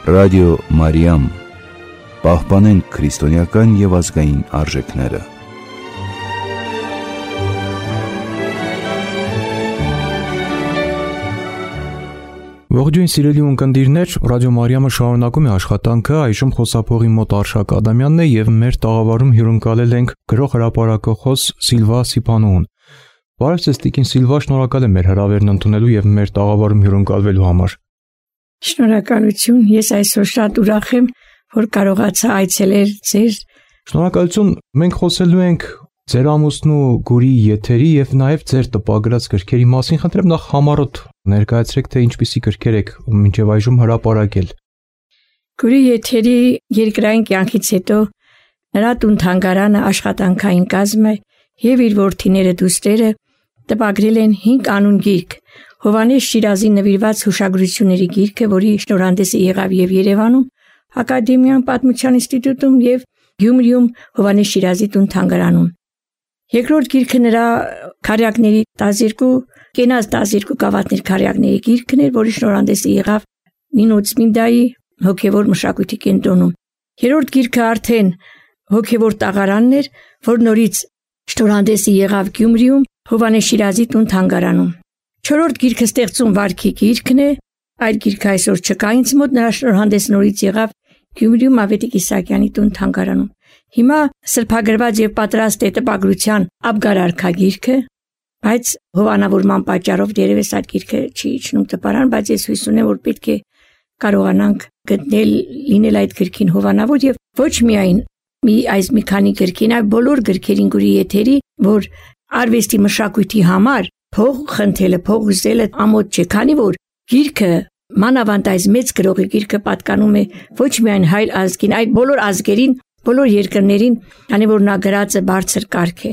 Ռադիո Մարիամ, պահպանենք քրիստոնեական և ազգային արժեքները։ Ողջույն սիրելի ունկնդիրներ, Ռադիո Մարիամը շարունակում է աշխատանքը, այժմ խոսափողի մոտ Արշակ Ադամյանն է և մեր տաղավարում հյուրընկալել ենք գրող հրապարակախոս Սիլվա Սիփանոուն։ Բարև ձեզ տիկին Սիլվա, շնորհակալ եմ մեր հրավերն ընդունելու և մեր տաղավարում հյուրընկալվելու համար։ Շնորհակալություն, ես այսօր շատ ուրախ եմ, որ կարողացա այցելել ձեզ։ Շնորհակալություն, մենք խոսելու ենք ձեր ամուսնու Գուրի եթերի և նաև ձեր տպագրած գրքերի մասին։ Խնդրեմ նախ համառոտ ներկայացրեք, թե ինչպիսի գրքեր եք մինչև այժմ հրապարակել։ Գուրի եթերի երկրային կյանքից հետո նրա տուն-թանգարանը աշխատանքային կազմ է և իր որդիները դուստրերը տպագրել են 5 անուն գիրք։ Հովհաննես Շիրազի նվիրված հուշագրությունների գիրքը, որի շնորհանդեսը եղավ և Երևանում, Ակադեմիական պատմության ինստիտուտում և Գյումրիում Հովհաննես Շիրազի տուն-թանգարանում։ Երկրորդ գիրքը նրա քարյակների 12 կենաց 12 գավաթներ քարյակների գիրքն էր, որի շնորհանդեսը եղավ Նինո Ծմինդայի հոգևոր մշակույթի կենտրոնում։ Երրորդ գիրքը արդեն հոգևոր տաղարանն էր, որ նորից շնորհանդեսը եղավ Գյումրիում Հովհաննես Շիրազի տուն-թանգարանում։ Չորրորդ գիրքը ստեղծում վարքի գիրքն է, այդ գիրքը այսօր չկա ինձ մոտ, նրա շնորհանդեսը նորից եղավ Գյումրիում Ավետիք Իսահակյանի տուն-թանգարանում։ Հիմա սրբագրված եւ պատրաստ է տպագրության Աբգար արքա գիրքը, բայց հովանավորման պատճառով դերևս այդ գիրքը չի իջնում տպարան, բայց ես հույս ունեմ, որ պետք է կարողանանք գտնել լինել այդ գրքին հովանավոր եւ ոչ միայն մի քանի գրքին, այլ բոլոր գրքերին Գուրի եթերի, որ արվեստի մշակույթի համար փող խնդրելը, փող ուզելը ամոթ չէ, քանի որ գիրքը մանավանդ այս մեծ գրողի գիրքը պատկանում է ոչ միայն հայ ազգին, այլ բոլոր ազգերին, բոլոր երկրներին, քանի որ նա գրած է բարձր կարգ է։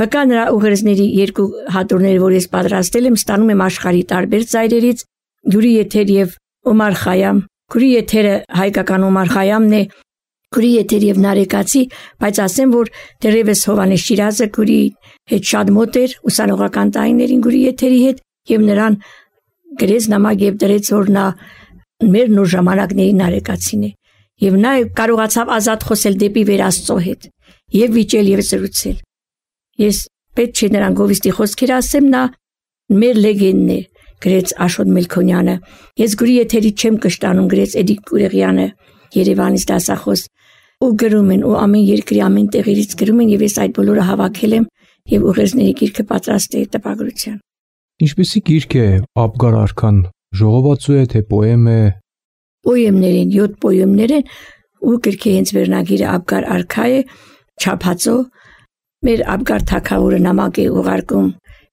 Վկա նրա ուղերձների 2 հատորները, որ ես պատրաստել եմ, ստանում եմ աշխարհի տարբեր ծայրերից, Գուրի եթեր եւ Օմար Խայամ։ Գուրի եթերը հայկական Օմար Խայամն է, Գուրի եթեր եւ Նարեկացի, բայց ասեմ, որ դեռևս Հովհաննես Շիրազը Գուրի հետ շատ մոտ էր ուսանողական տարիներին Գուրի եթերի հետ եւ նրան գրեց նամակ եւ դրեց, որ նա մեր նոր ժամանակների Նարեկացին է եւ նա կարողացավ ազատ խոսել դեպի վեր Աստծո հետ եւ վիճել եւ զրուցել։ Ես պետք չէ նրան գովիստի խոսքեր ասեմ, նա մեր լեգենդն է, գրեց Աշոտ Մելքոնյանը։ Ես Գուրի եթերի չեմ կշտանում, գրեց Էդիկ Կուրեղյանը, Երևանից դասախոս, ու գրում են, ու ամեն երկրի ամեն տեղերից գրում են եւ ես այդ բոլորը հավաքել եմ եւ ուղերձների գիրքը պատրաստ է տպագրության։ Ինչպիսի գիրք է Աբգար արքան, ժողովածու է թե պոեմ է։ Պոեմներ են, 7 պոեմներ են, ու գրքի հենց վերնագիրը Աբգար արքա է, չափածո։ Մեր Աբգար թագավորը նամակ է ուղարկում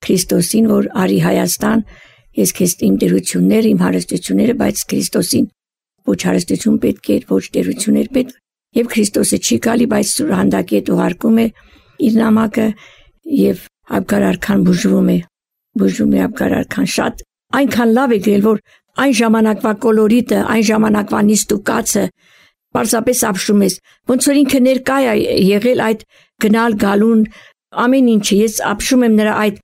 Քրիստոսին, որ արի Հայաստան, ես քեզ իմ դերությունները, իմ հարստությունները, բայց Քրիստոսին ոչ հարստություն պետք է, ոչ դերություններ պետք, եւ Քրիստոսը չի գալի, բայց սուրհանդակի հետ ուղարկում է իր նամակը եւ Աբգար արքան բուժվում է Աբգար արքան շատ այնքան լավ է գրել, որ այն ժամանակվա կոլորիտը, այն ժամանակվա նիստուկացը պարզապես ապշում ես, ոնց որ ինքը ներկա է եղել այդ գնալ գալուն ամեն ինչը, ես ապշում եմ նրա այդ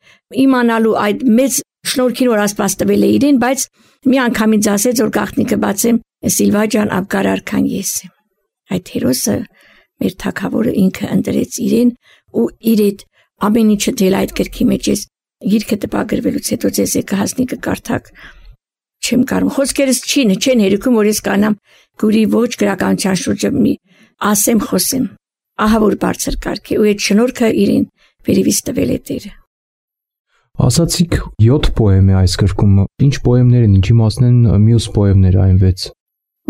իմանալու այդ մեծ շնորհքին, որ Աստված տվել է իրեն, բայց մի անգամից ասեց, որ գաղտնիքը բացեմ, Սիլվա ջան, Աբգար արքան ես եմ։ Այդ հերոսը մեր թագավորը ինքը ընտրեց իրեն ու իր այդ ամեն ինչը դել այդ գրքի մեջ ես գիրքը տպագրվելուց հետո ձեզ կհասնի կկարդաք չեմ կարող խոսքերս չեն հերիքում, որ ես կանամ Գուրի ոչ գրականության շուրջը մի ասեմ խոսեմ, ահա որ բարձր կարգ է ու այդ շնորհքը իրեն վերևից տվել է Տերը։ Ասացիք 7 պոեմ է այս գրքում, ինչ պոեմներ են, ինչի մասն են մյուս պոեմները այն 6։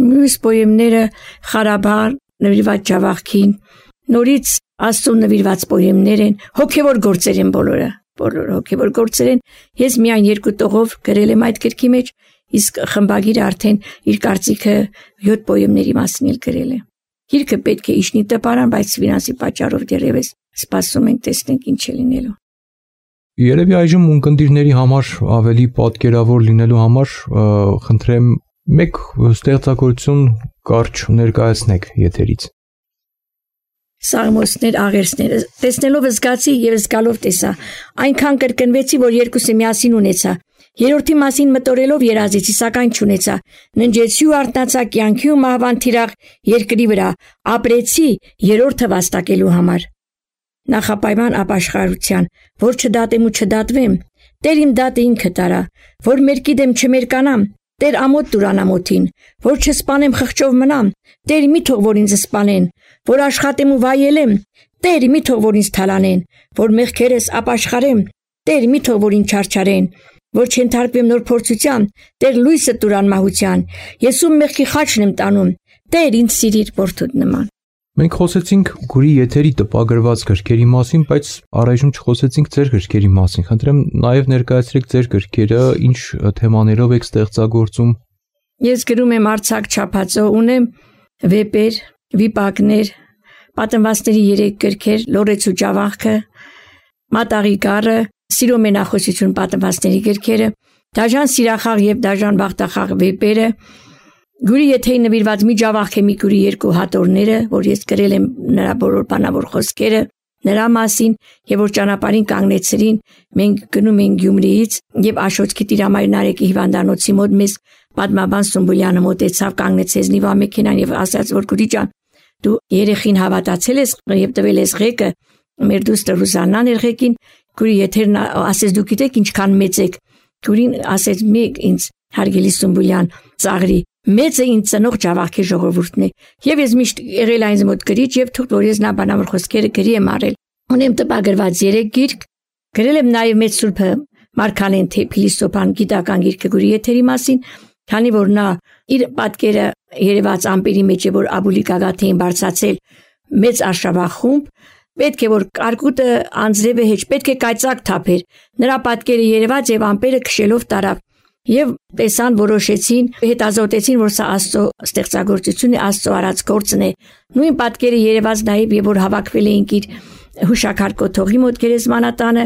Մյուս պոեմները Ղարաբաղ նվիրված Ջավախքին, նորից Աստծուն նվիրված պոեմներ են, հոգևոր գործեր են բոլորը հոգևոր գործեր են։ Ես միայն 2 տողով գրել եմ այդ գրքի մեջ, իսկ խմբագիրը արդեն իր կարծիքը 7 պոեմների մասին էլ գրել է։ Գիրքը պետք է իջնի տպարան, բայց ֆինանսի պատճառով դեռևս սպասում ենք տեսնենք ինչ է լինելու։ Երևի այժմ ունկնդիրների համար ավելի պատկերավոր լինելու համար խնդրեմ մեկ ստեղծագործություն կարճ ներկայացնեք եթերից։ Սաղմոսներ, աղերսներ, տեսնելով զգացի եւ զգալով տեսա, այնքան կրկնվեցի, որ երկուսը միասին ունեցա, երրորդի մասին մտորելով երազեցի, սակայն չունեցա, ննջեցի ու արթնացա կյանքի ու մահվան թիրախ երկրի վրա, ապրեցի երրորդը վաստակելու համար։ Նախապայման ապաշխարության, որ չդատեմ ու չդատվեմ, Տեր իմ դատը ինքը տարա, որ մերկի դեմ չմերկանամ, Տեր ամոթ տուր անամոթին, որ չսպանեմ խղճով մնամ, Տեր մի թող որ ինձ սպանեն, որ աշխատեմ ու վայելեմ, Տեր մի թող որ ինձ թալանեն, որ մեղքերս ապաշխարեմ, Տեր մի թող որ ինձ չարչարեն, որ չընթարկվեմ նոր փորձության, Տեր լույսը տուր անմահության, ես ում մեղքի խաչն եմ տանում, Տեր ինձ սիրիր որդուդ նման։ Մենք խոսեցինք Գուրի եթերի տպագրված գրքերի մասին, բայց առայժմ չխոսեցինք ձեր գրքերի մասին։ Խնդրեմ նաև ներկայացրեք ձեր գրքերը, ինչ թեմաներով եք ստեղծագործում։ Ես գրում եմ արձակ չափածո, ունեմ վեպեր, վիպակներ, պատմվածքների 3 գրքեր, Լորեցու ջավախքը, Մատաղի գառը, Սիրո մենախոսություն պատմվածքների գրքերը, Դաժան սիրախաղ եւ Դաժան բախտախաղ վեպերը, Գուրի եթեի նվիրված մի ջավախ է մի Գուրի 2 հատորները, որ ես գրել եմ նրա բոլոր բանավոր խոսքերը նրա մասին եւ որ ճանապարհին կանգնեցրին, մենք գնում ենք Գյումրիից եւ Աշոտքի Տիրամայր Նարեկի հիվանդանոցի մոտ մեզ պատմաբան Սումբուլյանը մոտեցավ, կանգնեցեց նիվա մեքենան եւ ասաց, որ Գուրի ջան, դու երեխին հավատացել ես եւ տվել ես ղեկը, մեր դուստր Ռուզաննան էր ղեկին, Գուրի եթերն ասեց դու գիտեք ինչքան մեծ եք, Գուրին ասեց մեկ ինձ հարգելի Սումբուլյան ծաղրի մեծ է ինձ ծնող ջավախքի ժողովուրդն է եւ ես միշտ եղել այնց մոտ գրիչ եւ թող որ ես նա բանավոր խոսքերը գրի եմ արել ունեմ տպագրված 3 գիրք գրել եմ նաեւ մեծ սուրբը Մարգարեն Փիլիսոփան գիտական գիրքը Գուրի եթերի մասին քանի որ նա իր պատկերը երևաց ամպերի մեջ է որ Աբուլի Գագաթեին բարձացել մեծ արշավախումբ պետք է որ կարկուտը անձրևը հեչ պետք է կայծակ թափեր նրա պատկերը երևաց եւ ամպերը քշելով տարավ Եվ տեսան որոշեցին, հետազոտեցին, որ սա Աստծո ստեղծագործություն է, Աստծո արած գործն է։ Նույն պատկերը երևաց նաև եւ որ հավաքվել էինք իր հուշակար կոթողի մոտ գերեզմանատանը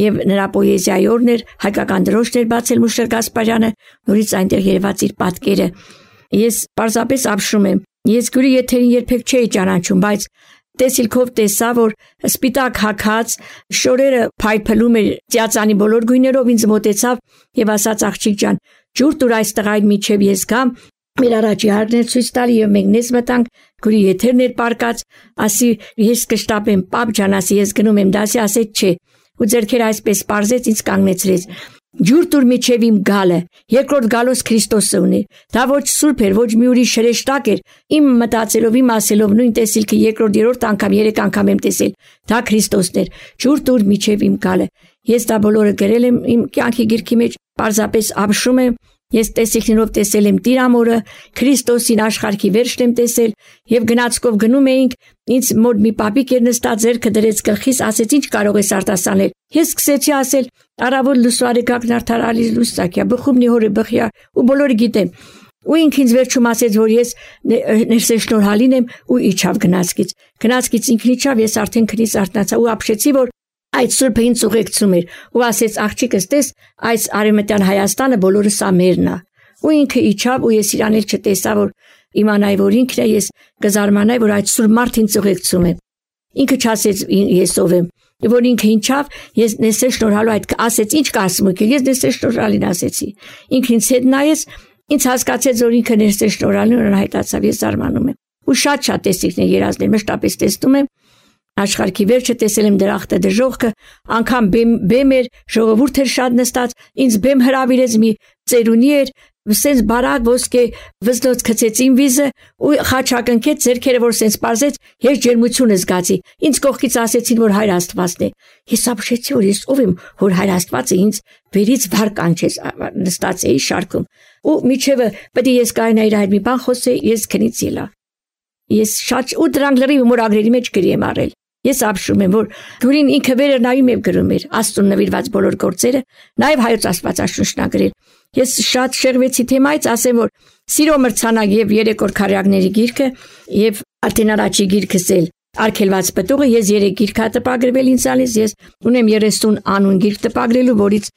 եւ նրա պոեզիայի օրներ հայկական դրոշներ բացել Մուշեր Գասպարյանը, նորից այնտեղ երևաց իր պատկերը։ Ես պարզապես ապշում եմ։ Ես Գուրի եթերին երբեք չէի ճանաչում, բայց տեսիլքով տեսա, որ սպիտակ հագած շորերը փայփլում էր ծիածանի բոլոր գույներով ինձ մոտեցավ եւ ասաց աղջիկ ջան, ջուր տուր այս տղային միջև ես գամ, մեր առաջի հարներ ցույց տալի եւ մենք նես մտանք Գուրի եթերն էր պարկած, ասի ես կշտապեմ, պապ ջան, ասի ես գնում եմ դասի, ասեց չէ, ու ձերքերը այսպես պարզեց ինձ կանգնեցրեց։ Ջուր տուր միջև իմ գալը, երկրորդ գալոս Քրիստոսը ունի։ Դա ոչ սուրբ էր, ոչ մի ուրիշ հրեշտակ էր։ Իմ մտածելով, իմ ասելով նույն տեսիլքը երկրորդ, երրորդ անգամ, 3 անգամ եմ տեսել։ Դա Քրիստոսն էր։ Ջուր տուր միջև իմ գալը։ Ես դա բոլորը գրել եմ իմ կյանքի գրքի մեջ, պարզապես ապշում եմ։ Ես տեսիլքներով տեսել եմ Տիրամորը, Քրիստոսին աշխարհի վերջն եմ տեսել եւ գնացքով գնում էինք, ինձ մոտ մի պապիկ էր նստած, ձեռքը դրեց գլխիս, ասեց ինչ կարող ես արտասանել։ Ես սկսեցի ասել արավոտ լուսարեկակն արդարալի լուսակյա, բխումնի հորը բխյա ու բոլորը գիտեմ։ Ու ինքն ինձ վերջում ասեց, որ ես ներսեշնորհալին եմ ու իջավ գնացքից։ Գնացքից ինքն իջավ, ես արդեն քնից արթնացա ու ապշեցի, որ այդ սուրբը ինձ ուղեկցում էր ու ասեց աղջիկս տես այս արևմտյան Հայաստանը բոլորը սա մերն է ու ինքը իջավ ու ես իրան էլ չտեսա որ իմանայի որ ինքն է ես կզարմանայի որ այդ սուրբ մարդ ինձ ուղեկցում է ինքը չասեց ես ով եմ որ ինքը ինչավ ես նեսե շնորհալու այդ ասեց ինչ կասմուկ ես նեսե շնորհալին ասեցի ինքն ինձ հետ նայեց ինձ հասկացեց որ ինքը նեսե շնորհալին ու հայտացավ ես զարմանում եմ ու շատ տեսիքներ երազներ մշտապես տեսնում եմ Աշխարհի վերջը տեսել եմ դրախտը դժողքը, անգամ բեմ էր, ժողովուրդ էր շատ նստած, ինձ բեմ հրավիրեց մի ծերունի էր, սենց բարակ ոսկե վզնոց գցեցին վիզը ու խաչակնքեց ձերքերը որ սենց պարզեց, ես ջերմություն զգացի, ինձ կողքից ասեցին որ Հայր Աստվածն է, ես ապշեցի որ ես ով եմ, որ Հայր Աստվածը ինձ վերից վար կանչեց, նստած էի շարքում, ու միջևը պետք է ես կայնայի իր մի բան խոսեի, ես քնից ելա, ես շատ ու դրանք լրիվ մորագրերի մեջ գրի եմ արել Ես ապշում եմ, որ Գուրին ինքը վերը նայում եւ գրում էր Աստծուն նվիրված բոլոր գործերը, նաեւ հայոց Աստվածաշունչն ագրել։ Ես շատ շեղվեցի թեմայից, ասեմ, որ Սիրո մրցանակ եւ 3 օր քարյակների գիրքը եւ արդեն առաջի գիրքս էլ Արգելված պտուղը, ես 3 գիրք տպագրվել ինձ ալիս, ես ունեմ 30 անուն գիրք տպագրելու, որից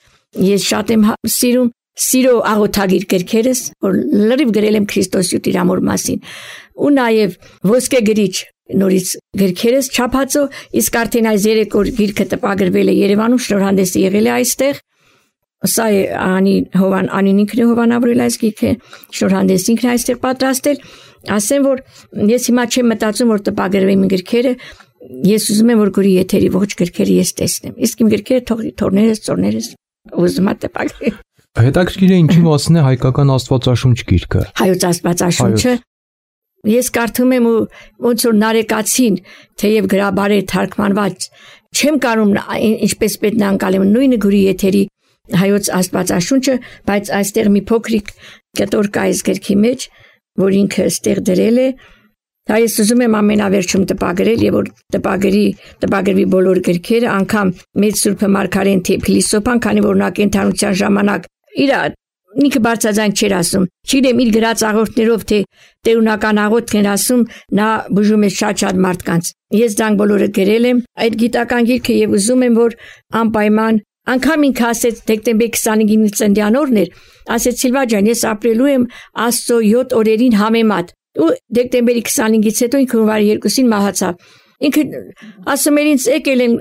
ես շատ եմ սիրում Սիրո աղոթագիր գրքերս, որ լրիվ գրել եմ Քրիստոսի ու Տիրամոր մասին, ու նաև ոսկե գրիչ նորից գրքերս չափածո, իսկ արդեն այս 3 օր գիրքը տպագրվել է Երևանում, շնորհանդեսը եղել է այստեղ։ Սա է Անին ինքն է հովանավորել այս գիրքը, շնորհանդեսը ինքն է այստեղ պատրաստել։ Ասեմ, որ ես հիմա չեմ մտածում, որ տպագրվեն իմ գրքերը, ես ուզում եմ, որ գորի եթերի ողջ գրքերը ես տեսնեմ։ Իսկ իմ գրքերը թորներս, ծորներս ուզում եմ տպագրել։ Հետաքրքիր է ինչի մասին է հայկական Աստվածաշունչ գիրքը։ Հայոց Աստվածաշունչը ես կարդում եմ ու ոնց որ նարեկացին, թեև գրաբար է թարգմանված, չեմ կարում ինչպես պետք է անցալեմ նույնը գորի եթերի Հայոց Աստվածաշունչը, բայց այստեղ մի փոքրիկ կտոր կա այս գրքի մեջ, որ ինքը ստեղ դրել է։ Դա ես ուզում եմ ամենավերջում տպագրել եւ որ տպագրվի բոլոր գրքերը, անգամ մեծ Սուրբ Մարգարեն Փիլիսոփան, քանի որ նա կենթանության ժամանակ իր ինքը բարձրաձայն չէր ասում, չգիտեմ իր գրած աղոթներով թե տերունական աղոթք էր ասում, նա բուժում է շատ մարդկանց։ Ես դրանք բոլորը գրել եմ այդ գիտական գիրքը եւ ուզում եմ որ անպայման անգամ ինքը ասեց դեկտեմբերի 25-ին ծննդյան օրն էր, ասեց Սիլվա ջան, ես ապրելու եմ Աստծո 7 օրերին համեմատ։ Ու դեկտեմբերի 25-ից հետո ինքը հունվարի 2-ին մահացավ։ Ինքը ասում էր ինձ եկել են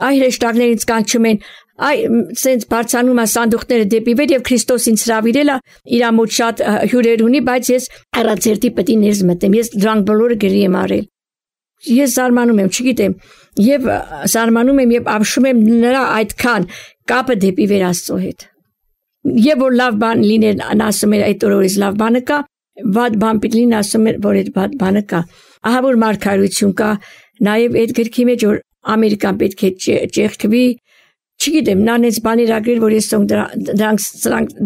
այ հրեշտակներից կանչում են, այ սենց բարձանում է սանդուղքները դեպի վեր եւ Քրիստոս ինձ հրավիրել է իր մոտ շատ հյուրեր ունի, բայց ես առանցերտի պետք է ներս մտեմ, ես դրանք բոլորը գրի եմ արել։ Ես զարմանում եմ, չգիտեմ, եւ զարմանում եմ եւ ապշում եմ նրա այդքան կապը դեպի վեր Աստծո հետ։ Եվ որ լավ բան լիներ, ասում էր այդ օրից լավ բանը կա, վատ բան պիտի լինի, ասում էր որ այդ վատ բանը կա։ Ահա որ մարգարություն կա, նաեւ այդ գրքի մեջ որ Ամերիկան պետք է ճեղքվի, չգիտեմ, նանեց բաներ ագրել, որ ես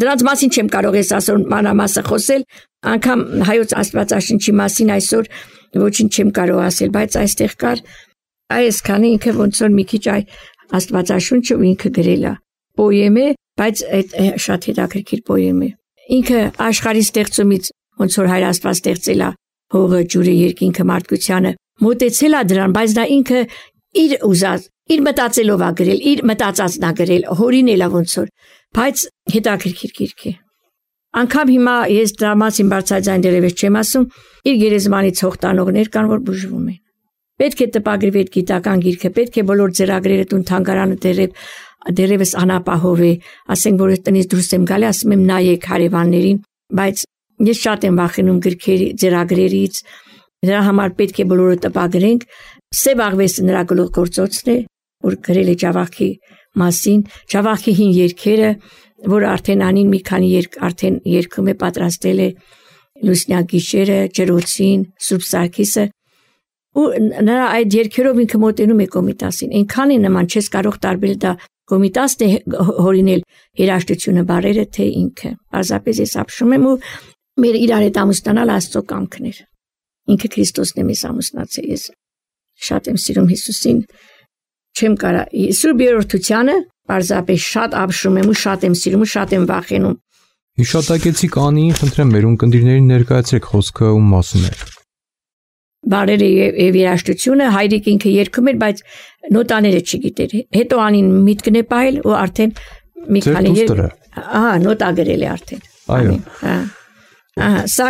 դրանց մասին չեմ կարող ես ասոր մանրամասը խոսել, անգամ Հայոց Աստվածաշունչի մասին այսօր ոչինչ չեմ կարող ասել, բայց այստեղ կար այսքանը ինքը ոնց որ մի քիչ այ Աստվածաշունչը ինքը գրել է։ Պոեմ է, բայց այդ շատ հետաքրքիր պոեմ է։ Ինքը աշխարհի ստեղծումից ոնց որ Հայր Աստված ստեղծել է հողը, ջուրը, երկինքը, մարդկությանը, մոտեցել է դրան, բայց դա ինքը իր ուզած, իր մտածելով է գրել, իր մտածածն է գրել, հորինել է ոնց որ, բայց հետաքրքիր գիրք է։ Անկամ հիմա ես դրա մասին բարձրաձայն դերևս չեմ ասում, իր գերեզմանից հող տանողներ կան, որ բուժվում են։ Պետք է տպագրվի այդ գիտական գիրքը, պետք է բոլոր ձեռագրերը տուն թանգարանը դերևս անապահով է, ասենք որ տնից դուրս եմ գալի, ասում եմ նայեք հարևաններին, բայց ես շատ եմ վախենում գրքերի ձեռագրերից, դրա համար պետք է բոլորը տպագրենք։ Սև աղվեսը նրա գլուխգործոցն է, որ գրել է Ջավախքի մասին, Ջավախքի հին երգերը, որ արդեն անին մի քանի երգ արդեն երգում է, պատրաստել է Լուսնյակ գիշերը, Ջրոցին, Սուրբ Սարգիսը, ու նրա այդ երգերով ինքը մոտենում է Կոմիտասին, այնքան է նման, չես կարող տարբերել դա Կոմիտասն է հորինել երաժշտությունը բարերը, թե ինքը։ Պարզապես ես ապշում եմ ու մեր իրար հետ ամուսնանալ Աստծո կամքն էր։ Ինքը Քրիստոսն է մեզ ամուսնացել, ես շատ եմ սիրում Հիսուսին, չեմ կարա Սուրբ Երրորդությանը պարզապես շատ ապշում եմ ու շատ եմ սիրում ու շատ եմ վախենում։ Հիշատակեցիք Անիին, խնդրեմ մեր ունկնդիրներին ներկայացրեք խոսքը ում մասին է։ Բարերը եւ երաժշտությունը հայրիկ ինքը երգում էր, բայց նոտաները չգիտեր։ Հետո Անին միտքն է պահել ու արդեն մի քանի նոտա գրել է արդեն։ Այո։ Սա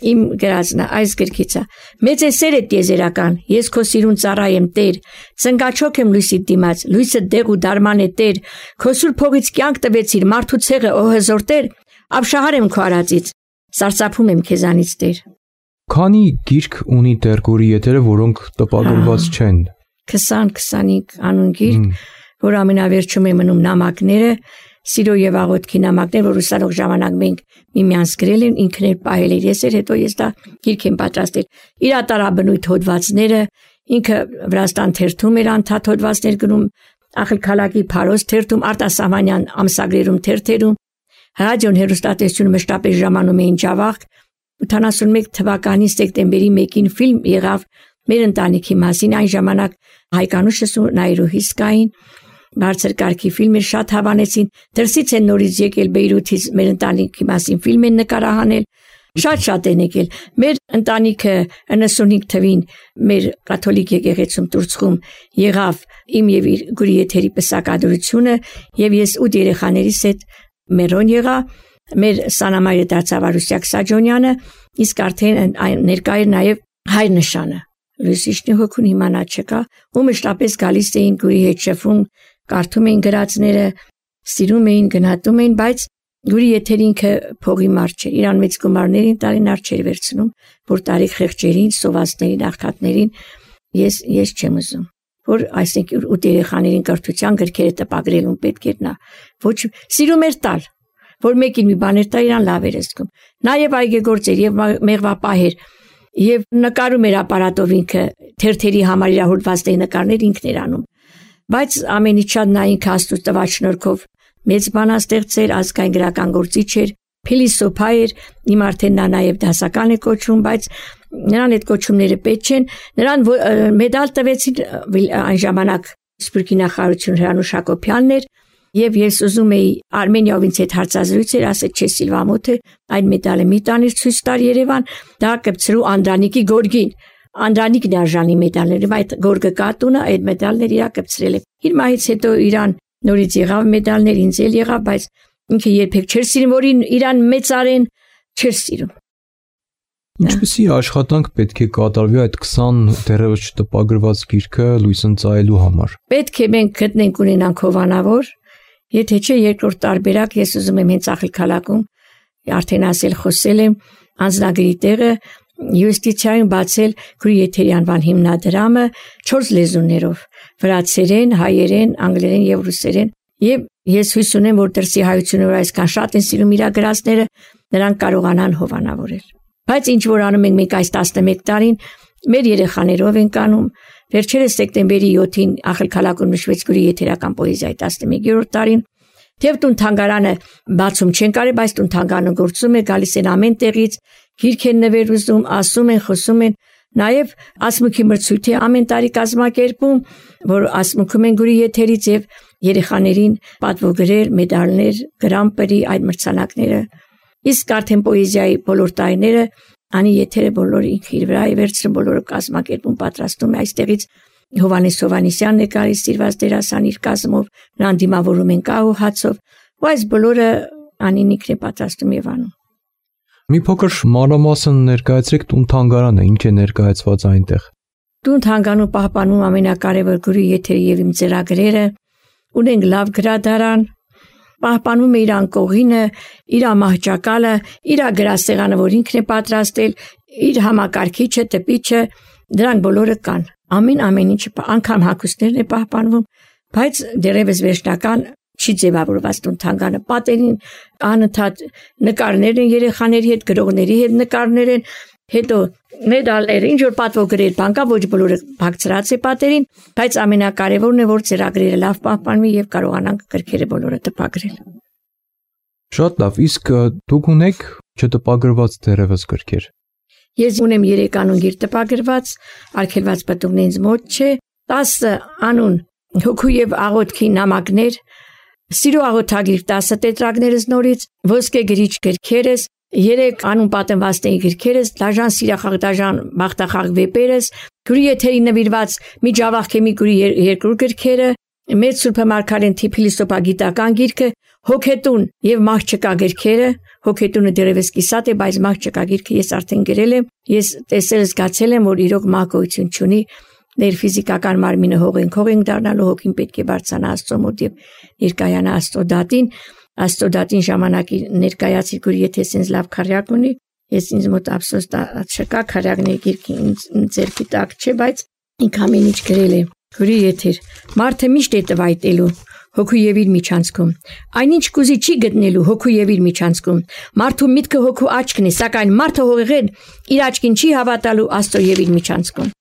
իմ գրածն է, այս գրքից է։ Մեծ է սերը տիեզերական, ես քո սիրուն ծառա եմ Տեր, ծնկաչոք եմ լույսի դիմաց, լույսը դեղ ու դարման է Տեր, քո սուր փողից կյանք տվեցիր, մարդու ցեղը օհեզոր Տեր, ապշահար եմ քո արածից, սարսափում եմ քեզանից Տեր։ Քանի գիրք ունի դեռ գորի եթերը, որոնք տպագրված չեն։ 20-25 անուն գիրք, որ ամենավերջում է մնում նամակները, Սիրո եւ աղոթքի նամակներ, որ ուսանող ժամանակ մենք միմյանց գրել են, ինքն էր պահել էր, հետո ես դա գիրք եմ պատրաստել։ Իր ատարաբնույթ հոդվածները, ինքը Վրաստան թերթում էր անդադ հոդվածներ գնում, Ախալքալակի Փարոս թերթում, Արտասահմանյան ամսագրերում թերթերում, ռադիոն հեռուստատեսությունը մշտապես ժամանում էին Ջավախք։ 81 թվականի սեպտեմբերի 1-ին ֆիլմ եղավ մեր ընտանիքի մասին, այն ժամանակ Հայկանուշս ու Նայրուհիս կային, բարձր կարգի ֆիլմեր շատ հավանեցին, դրսից են նորից եկել Բեյրութից մեր ընտանիքի մասին ֆիլմ են նկարահանել, շատ են եկել։ Մեր ընտանիքը 95 թվին մեր կաթոլիկ եկեղեցում Տուրցխում եղավ իմ եւ իր գուրի եթերի պսակադրությունը եւ ես 8 երեխաներիս հետ մերոն եղա, մեր սանամայրը դարձավ Արուսյակ Սաջոնյանը, իսկ արդեն ներկա էր նաեւ հայր նշանը, Լույսիշնի հոգուն իմանա չկա, ու մշտապես գալիս էին Գուրի հետ շփվում, կարդում էին գրածները, սիրում էին, գնահատում էին, բայց Գուրի եթեր ինքը փողի մարդ չէր, իրան մեծ գումարներին տարին արչեր վերցնում, որ տարիք խեղճերին, սովածներին, աղքատներին ես չեմ ուզում, որ այսինքն ու երեխաներին կրթության գրքերը տպագրելուն պետք էր նա, ոչ սիրում էր տալ, որ մեկին մի բաներ տա իրան լավ էր զգում, նաև այգեգործ էր եւ մեղվապահ էր եւ նկարում էր ապարատով ինքը թերթերի համար իր հոդվածների նկարներ ինքն էր անում, բայց ամենից շատ նա ինքը Աստծո տված շնորհքով մեծ բանաստեղծ էր, ազգային գրական գործիչ էր, փիլիսոփա էր, իմ արդեն նա նաև դասական է կոչվում, բայց նրան այդ կոչումները պետք չեն, նրան մեդալ տվեցին այն ժամանակ Սփյուռքի նախարարություն Հրանուշ Հակոբյանն էր, եւ ես ուզում էի Արմենիայով ինձ հետ հարցազրույց էր, ասեց չէ Սիլվամոթը, այն մեդալը մի տանիր ցույց տար Երևան, դա կպցրու Անդրանիկի գորգին, Անդրանիկն է արժանի մեդալները, այդ գորգը կատունը, այդ մեդալները իրա կպցրել է։ Իր մահից հետո իրան նորից եղավ մեդալներ, ինձ էլ եղավ, բայց ինքը երբեք չէր սիրում, որ իրան մեծարեն, չէր սիրում։ Ինչպեսի աշխատանք պետք է կատարվի այդ 20 դեռևս չտպագրված գիրքը լույս ընծայելու համար։ Պետք է մենք գտնենք ունենանք հովանավոր, եթե չէ երկրորդ տարբերակ ես ուզում եմ հենց աղիքալակում, արդեն ասել խոսել եմ, անձնագրի տեղը յուրիստիցիայում բացել Գուրի եթերի անվան հիմնադրամը 4 լեզուներով՝ վրացերեն, հայերեն, անգլերեն եւ ռուսերեն, եւ ես հույս ունեմ, որ դրսի հայությունները այսքան շատ են սիրում իր գրածները, նրանք կարողանան հովանավորել։ Բայց ինչ որ անում ենք մենք այս 11 տարին, մեր երեխաներով ենք անում, վերջերս սեպտեմբերի 7-ին աղիքալակում նշվեց Գուրի եթերական պոեզիայի 11-րդ տարին, Թեև թանգարանը բացում չեն կարել, բայց թանգարանը գործում է, գալիս են ամեն տեղից, գիրք են նվեր ուզում, ասում են, խոսում են, նաև ասմուքի մրցույթ է ամեն տարի կազմակերպում, որ ասմուքում են Գուրի եթերից եւ երեխաներին պատվոգրեր, մեդալներ, գրամպրի այդ մրցանակները։ Իսկ արդեն պոեզիայի բոլոր տարիները անի եթերը բոլորը ինքը իր վրա է վերցրում, բոլորը կազմակերպում, պատրաստում է այստեղից Հովանես Հովանեսյանն է գալիս սիրված դերասան իր կազմով, նրան դիմավորում են կահ ու հացով, ու այս բոլորը անին ինքն է պատրաստում եւ անում։ Մի փոքր մանրամասն ներկայացրեք տուն-թանգարանը, ինչ է ներկայացված այնտեղ։ Տուն-թանգարանում պահպանում ամենակարևոր Գուրի եթերի եւ իմ ծրագրերը, ունենք լավ գրադարան, պահպանում է իր անկողինը, իր մահճակալը, իր գրասեղանը, որ ինքն է պատրաստել, իր համակարգիչը, տպիչը, դրանք բոլորը կան։ Ամեն ինչը անգամ հագուստներն է պահպանվում, բայց դեռևս վերջնական չի ձևավորված տուն-թանգարանը, պատերին անընդհատ նկարներ են երեխաների հետ, գրողների հետ նկարներ են, հետո մեդալներ, ինչ որ պատվոգրեր, բան կա, ոչ բոլորը բացրած է պատերին, բայց ամենակարևորն է, որ ծրագրերը լավ պահպանվի եւ կարողանանք գրքերը բոլորը տպագրել։ Շատ լավ, իսկ դուք ունեք չտպագրված դեռևս գրքեր։ Ես ունեմ 3 անուն գիր տպագրված, արգելված պատուղն ինձ մոտ չէ, 10 անուն հոգու եւ աղոթքի նամակներ, սիրո աղոթագիր 10 տետրակներս նորից, ոսկե գրիչ գրքերս, 3 անուն պատմվածների գրքերս, դաժան սիրախաղ, դաժան բախտախաղ վեպերս, Գուրի եթերի նվիրված միջավախ Գուրի երկրորդ գրքերը, Մեծ Սուրբ Մարգարեն Թիփիլիսոպա գիտական գիրքը, Հոգետուն եւ Մահճկա գրքերը, Հոգետունը դեռևս կիսատ է, բայց Մահճկա գիրքը ես արդեն գրել եմ, ես տեսել զգացել եմ, որ իրոք մահկոյություն չունի, ներ ֆիզիկական մարմինը հողեն դառնալու, հոգին պետք է բարձրանա Աստծո մոտ եւ ներկայանա Աստծո դատին, Աստծո դատին ժամանակի ներկայացի Գուրի եթե sense լավ քարյակ ունի, ես ինձ մոտ ափսոս չկա քարյակների գիրքը ինձ ձերքի տակ չէ, բայց ինք ամեն ինչ գրել է։ Գուրի եթեր, մարդը միշտ է տվայտելու, հոգու եւ իր միջանցքում, այնինչ կուզի չի գտնելու հոգու եւ իր միջանցքում, մարդու միտքը հոգու աչքն է, սակայն մարդը հողեղեն իր աչքին չի հավատալու Աստծո եւ իր միջանցքում։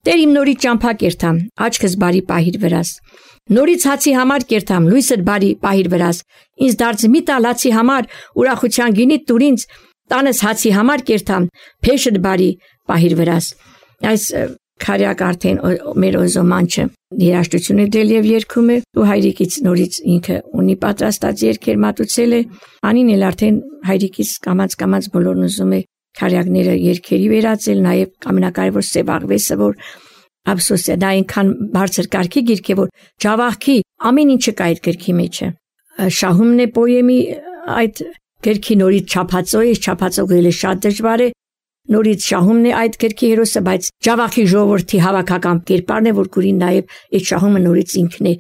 Տեր իմ նորից ճամփա կերտամ, աչքս բարի պահիր վրաս, նորից հացի համար կերտամ, լույսդ բարի պահիր վրաս, ինձ դարձ մի տալ հացի համար, ուրախության գինի տուր ինձ, տանս հացի համար կերտամ, փեշդ բարի պահիր վրաս։ Այս քարյակ արդեն մեր օզոմանչը երաժշտություն է դել եւ երգում է, ու հայրիկից նորից ինքը ունի պատրաստած երգեր մատուցել է, անին էլ արդեն հայրիկից կամած բոլորն ուզում է քարյակները երգերի վերածել, նաեւ ամենակարևոր սև աղվեսը, որ ափսոս է, դա այնքան բարձր կարգի գիրք է, որ ջավախքի ամեն ինչը կա այդ գրքի մեջը։ Շահումն է պոեմի այդ գրքի նորից չափածո է, չափածողելը շատ դժվար է, նորից շահումն է այդ գրքի հերոսը, բայց Ջավախի ժողովրդի հավաքական կերպարն է, որ գուրին նաև այդ շահումը նորից ինքն է։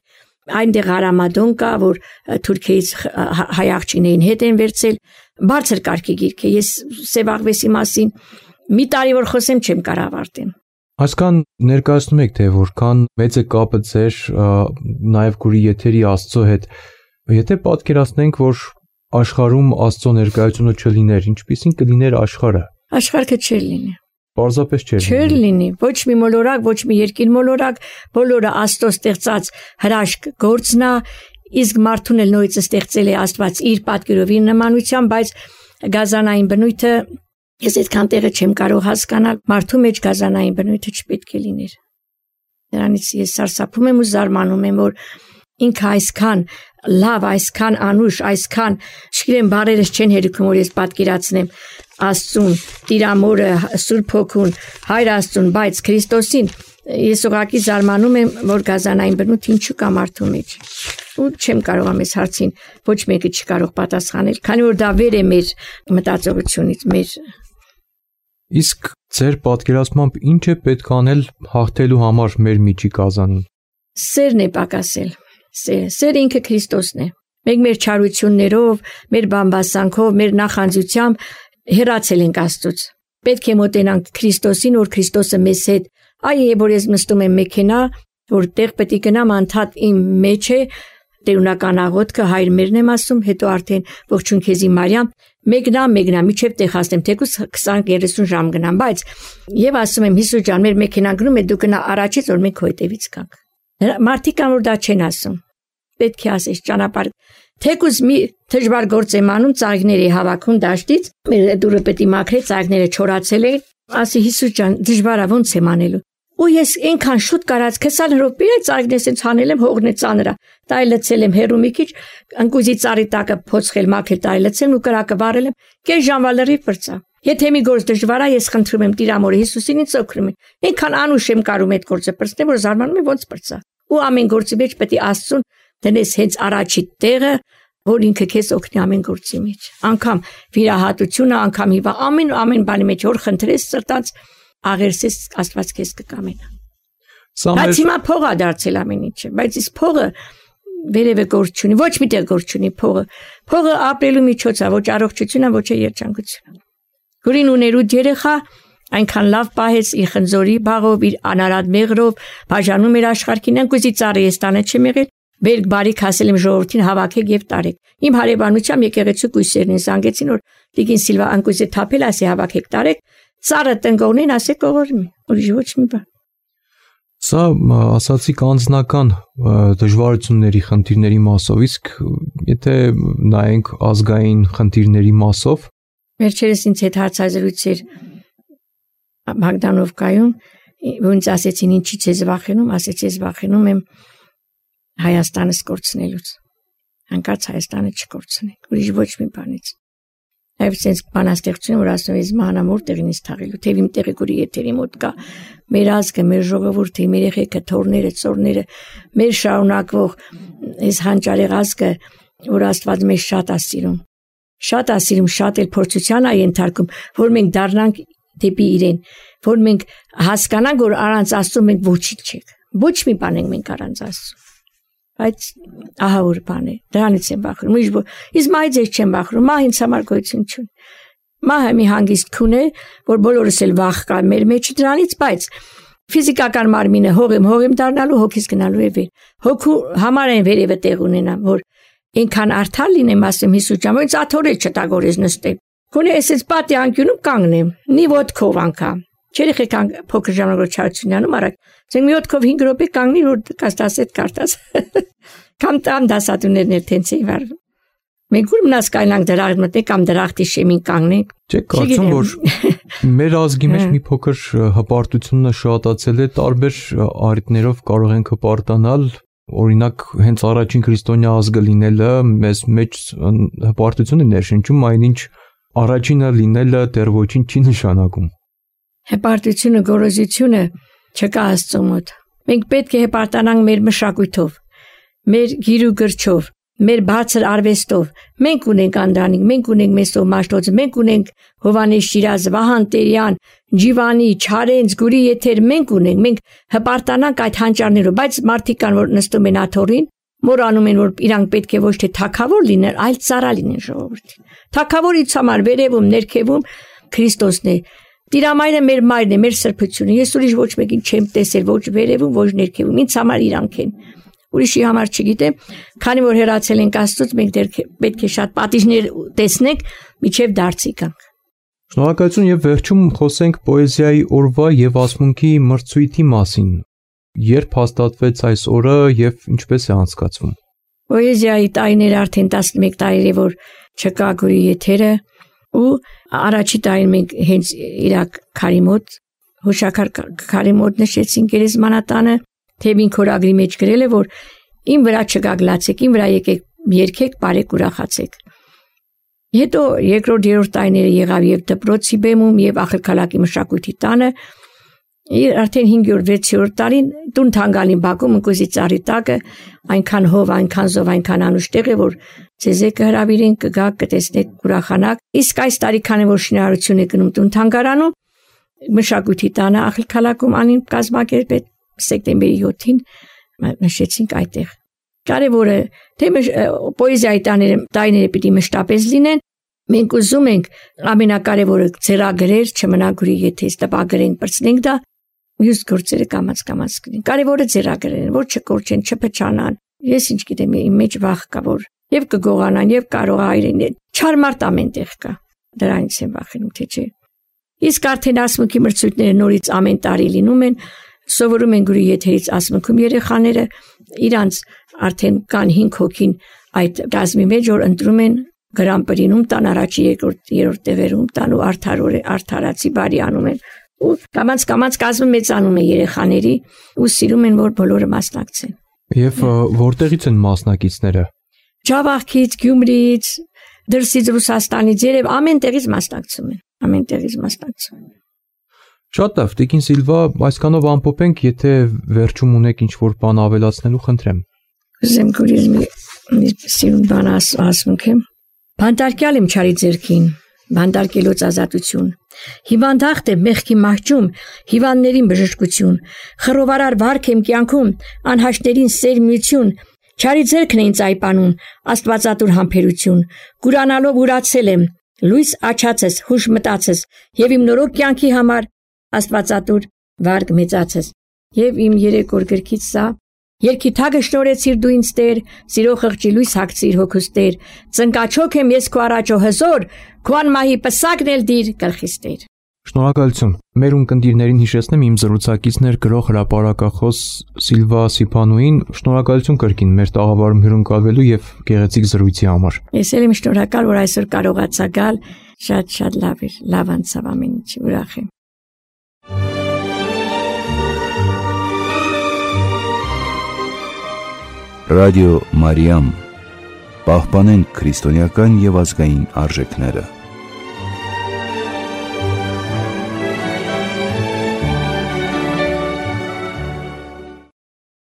Այնտեղ Արամադոն կա, որ Թուրքիայից հայ աղջիկներին հետ են վերցել, բարձր կարգի գիրք է։ Ես Սևաղվեսի մասին մի տարի որ խոսեմ չեմ կարող ավարտեմ։ Այսքան ներկայացնում եք, թե որքան մեծ է կապը ձեր նաև գուրի եթերի Աստծո հետ։ Եթե պատկերացնենք, որ աշխարհում Աստծո ներկայությունը չլիներ, ինչպիսին կլիներ աշխարհը։ Աշխարհը չէր լինի։ Պարզապես չէր լինի, ոչ մի մոլորակ, ոչ մի երկիր մոլորակ, բոլորը Աստծո ստեղծած հրաշք գործն է, իսկ մարդուն էլ նույնիսկ ստեղծել է Աստված իր պատկերով, իր նմանությամբ, բայց գազանային բնույթը ես այդքան տեղը չեմ կարող հասկանալ, մարդու մեջ գազանային բնույթը չպետք է լիներ։ Դրանից ես սարսափում եմ ու զարմանում եմ, որ ինքը այսքան լավ, այսքան անուշ, այսքան չգիտեմ բարերս չեն հերիքում, որ ես պատկերացնեմ Աստծուն, Տիրամորը, Սուրբ Հոգուն, Հայր Աստծուն, բայց Քրիստոսին ես ուղղակի զարմանում եմ, որ գազանային բնույթ ինչու կա մարդու մեջ։ Ու չեմ կարող ամես հարցին ոչ մեկը չի կարող պատասխանել, քանի որ դա վեր է մեր մտածողությունից, մեր։ Իսկ ձեր պատկերացմամբ ինչ է պետք անել հաղթելու համար մեր միջի գազանին։ Սերն է պակասել։ Սերը ինքը Քրիստոսն է։ Մենք մեր չարություններով, մեր բամբասանքով, մեր նախանձությամբ հեռացել ենք Աստծուց։ Պետք է մոտենանք Քրիստոսին, որ Քրիստոսը մեզ հետ։ Այ որ ես նստում եմ մեքենա, որտեղ պետք է գնամ անդադ իմ մեջ է տերունական աղոթքը, Հայր մերն եմ ասում, հետո արդեն ողջույն քեզի Մարիամ, մեկնա, միջև տեղ հասնեմ, թեկուզ 20-30 ժամ գնամ, բայց եւ ասում եմ Հիսուս ջան, մեր մեքենան գնում է, դու գնա առաջից, որ մենք քո հետևից գանք։ Մարդիկ կան որ դա չեն ասում։ Պետք է ասես ճանապարհ։ Թեկուզ մի դժվար գործ եմ անում, ծաղիկներ է հավաքում դաշտից, մեր դուրը պետք է մաքրել, ծաղիկները չորացել են, ասի Հիսուս ջան, դժվար է ոնց եմ անելու։ Ու ես այնքան շուտ կարած 20 րոպե ծաղիկներս ինձ հանել եմ, հողն է ծանրա։ Տայ լցել եմ հերու մի քիչ, ընկուզի ծառի տակը փոցխել, մաքրել, տայ լցել ու կրակը վառել եմ, կես ժամվա լրիվ բրծա։ Եթե մի գործ դժվար է, ես խնդրում եմ Տիրամորը Հիսուսին ինձ օգնում է։ Այնքան անուշ եմ կարում այդ գործը բրծնել, որ զարմանում եմ ոնց բրծա։ Ու ամեն գործի մեջ պետք է Աստծուն դնես հենց առաջի տեղը, որ ինքը քեզ օգնի ամեն գործի մեջ։ Անկամ վիրահատությունը, անկամ հիվա, ամեն բանի մեջ որ խնդրես սրտած աղերսես Աստված քեզ կկամենա։ Բայց հիմա փող է դարձել ամեն ինչը, բայց իսկ փողը վերևը գործ չունի, ոչ միտեղ գործ չունի փողը։ Փողը ապրելու միջոց է, ոչ առողջություն է, ոչ երջանկություն։ Գուրին ուներ 8 երեխա, այնքան լավ պահեց իր խնձորի բաղով, իր անարատ մեղրով, բաժանում էր աշխարհին, ընկուզի ծառի էստանը չեմ եղել, բերք բարիք հասել եմ ժողովրդին հավաքեք եւ տարեք։ Իմ հարևանությամբ եկեղեցու կույսերն զանգեցին, որ Տիկին Սիլվա ընկուզի թափել, ասի հավաքեք տարեք, ծառը տնկողնին ասի կողորմի, ուրիշ ոչ մի բան։ Սա ասացիք անձնական դժվարությունների խնդիրների մասով, իսկ եթե նայենք ազգային խնդիրների մասով, վերջերս ինձ հետ հարցազրույցեր Մագդանովկայում, ոնց ասեցին ինչից ես վախենում, ասեցի ես վախենում եմ Հայաստանը կորցնելուց։ Հանկարծ Հայաստանը չկորցնենք, ուրիշ ոչ մի բանից։ Այո, sense բանաստեղծություն, որ ասում ես մանամոր տեղին is թաղելու, թե իմ տեղը գուրի եթերի մոտ կա, մեր ազգը, մեր ժողովուրդը, մեր երեխեքը, թորները, ծորները, մեր շարունակվող այս հանճարեղ ազգը, որ Աստված մեզ շատ է սիրում։ Շատ է սիրում, շատ էլ փորձության է ենթարկում, որ մենք դառնանք դեպի իրեն, որ մենք հասկանանք, որ առանց Աստծո մենք ոչինչ չենք։ Ոչ մի բան ենք մենք առանց Աստծո։ Բայց ահա որ բան է, դրանից եմ վախենում։ Իսկ մահից ես չեմ վախենում, մահ ինձ համար գոյություն չունի։ Մահը մի հանգիստ քուն է, որ բոլորս էլ վախ կա մեր մեջ դրանից, բայց ֆիզիկական մարմինը հող եմ դառնալու, հոգիս գնալու է վեր։ Հոգու համար են վերևը տեղ ունենամ, որ այնքան արդար լինեմ, ասեմ Հիսուս ջան, ոնց աթորել չտագորես նստեմ։ Քունե էսից պատի անկյունում կանգնեմ, նի ոտքով անգամ։ Չերեխեք փոքր ժամանակ չարությունանում արագ։ Ձեն մի ոտքով 5 րոպե կանգնի, որ կաստասետ կարտաս։ Կամ տամ դասատուներն էլ տենց էին վարվում։ Մենք ուր մնաց կայնանք դրախտ մտենք կամ դրախտի շեմին կանգնենք։ Չէ, կարծում որ մեր ազգի մեջ մի փոքր հպարտությունը շատացել է, տարբեր առիթներով կարող ենք հպարտանալ, օրինակ հենց առաջին քրիստոնյա ազգը լինելը մեզ մեջ հպարտություն է ներշնչում, այնինչ առաջինը լինելը դեռ ոչինչ չի նշանակում։ Հպարտությունը, գոռոզությունը չկա Աստծո մոտ։ Մենք պետք է հպարտանանք մեր մշակույթով, մեր գիրու գրչով, մեր բարձր արվեստով, մենք ունենք Անդրանիկ, մենք ունենք Մեսո Մաշտոցը, մենք ունենք Հովանես Շիրազը, Վահան Տերյան, Ջիվանի, Չարենց, Գուրի Եթեր, մենք ունենք, մենք հպարտանանք այդ հանճարներով, բայց մարդիկ կան, որ նստում են աթոռին, մոռանում են, որ իրանք պետք է ոչ թե թագավոր լինեն, այլ ծառա լինեն ժողովրդին։ Թագավորից համար վերևում, ներքևում Քրիստոսն է։ Տիրամայրը մեր մայրն է, մեր սրբությունը։ Ես ուրիշ ոչ մեկին չեմ տեսել, ոչ վերևում, ոչ ներքևում։ Ինձ համար իրանք են։ Ուրիշի համար չգիտեմ, քանի որ հեռացել ենք Աստծուց, մենք դեռ պետք է շատ պատիժներ տեսնենք, միջև դարձի գանք։ Շնորհակալություն եւ վերջում խոսենք պոեզիայի օրվա եւ ասմունքի մրցույթի մասին։ Երբ հաստատվեց այս օրը եւ ինչպես է անցկացվում։ Պոեզիայի տարիները արդեն 11 տարի է, որ չկա Գուրի Եթերը, ու առաջի տարին մենք հենց Իրաք քարի մոտ, հուշակար քարի մոտ նշեցինք գերեզմանատանը, թեւին քորագրի մեջ գրել է, որ իմ վրա չգագլացեք, իմ վրա եկեք երգեք, բարեք ուրախացեք։ Հետո երկրորդ երրորդ տարիները եղավ եւ դպրոցի բեմում եւ ախալքալակի մշակույթի տանը, արդեն 5-րդ 6-րդ տարին տուն թանգալին Բաքում ընկույզի ծառի տակը այնքան հով, այնքան զով, այնքան անուշ տեղ է, որ ձեզ կհրավիրեն, կգաք, կտեսնեք, կուրախանաք։ Իսկ այս տարի քանի որ շինարարություն է գնում տուն թանգարանում, մշակույթի տանը ախալքալակում անին կազմակերպել սեպտեմբերի 7-ին նշեցինք այդտեղ։ Կարևորը թե պոեզիայի տարիները պիտի մշտապես լինեն, մենք ուզում ենք ամենակարևորը ձեռագրեր չմնա Գուրի Եթերից, տպագրենք, բրցնենք դա, մյուս գործերը կամաց կրին։ Կարևորը ձեռագրերն, որ չկորչեն, չփչանան։ Ես ինչ գիտեմ, իմ մեջ վախ կա, որ եւ կգողանան, եւ կարող այրեն։ Չարմարտ ամենտեղ կա։ Դրանից եմ վախենում, թե չէ։ Իսկ արդեն ասմունքի մրցույթները նորից ամեն տարի լինում են, սովորում են Գուրի Եթերից ասմունքում երեխաները, իրանց արդեն կան 5 հոգին այդ գազմի մեջ, որ ընտրում են Գրամպրինում տան առաջի երրորդ տեղերում տան ու արդարացի բարի անում են ու կամաց կազմը մեծանում է երեխաների ու սիրում են որ բոլորը մասնակցեն։ Եվ որտեղից են մասնակիցները։ Ջավախից, Գյումրիից, դրսից Ռուսաստանից երև ամեն տեղից մասնակցում են։ Շատ լավ, Տիկին Սիլվա, այսքանով ամփոփենք, եթե վերջում ունեք ինչ-որ բան ավելացնելու, խնդրեմ։ Ուզեմ գուրիզմի սիրուն բան ասմունքեմ։ Բանտարկյալ եմ չարի ձեռքին, բանտարկելոց ազատություն։ Հիվանդախտ եմ մեղքի մահճում, հիվանդներին բժշկություն, խռովարար վարք եմ կյանքում, անհաշտերին սերմություն, չարի ձեռքն է ինձ այպանում, աստվածատուր համբերություն, գուրանալով ուրացել եմ, լույս աչացես, հուշ մտացես, եւ իմ նորոգ կյանքի համար աստվածատուր վարկ մեծացես, եւ իմ 3 օր գրքից սա Երկի թագը շնորհեցիր դու ինձ Տեր, սիրո խղճի լույս հագցիր հոգուս Տեր, ծնկաչոք եմ ես քո առաջ հզոր, քո անմահի պսակն էլ դիր գլխիս Տեր։ Շնորհակալություն։ Մեր ունկնդիրներին հիշեցնեմ իմ զրուցակիցներ գրող հրապարակախոս Սիլվա Սիփանուին, շնորհակալություն կրկին մեր տաղավարում հյուրընկալվելու եւ գեղեցիկ զրույցի համար։ Ես էլ եմ շնորհակալ, որ այսօր կարողացա գալ, շատ լավ էր, լավ անցավ ամեն ինչ, ուրախ եմ։ Ռադիո Մարիամ, պահպանենք քրիստոնեական եւ ազգային արժեքները։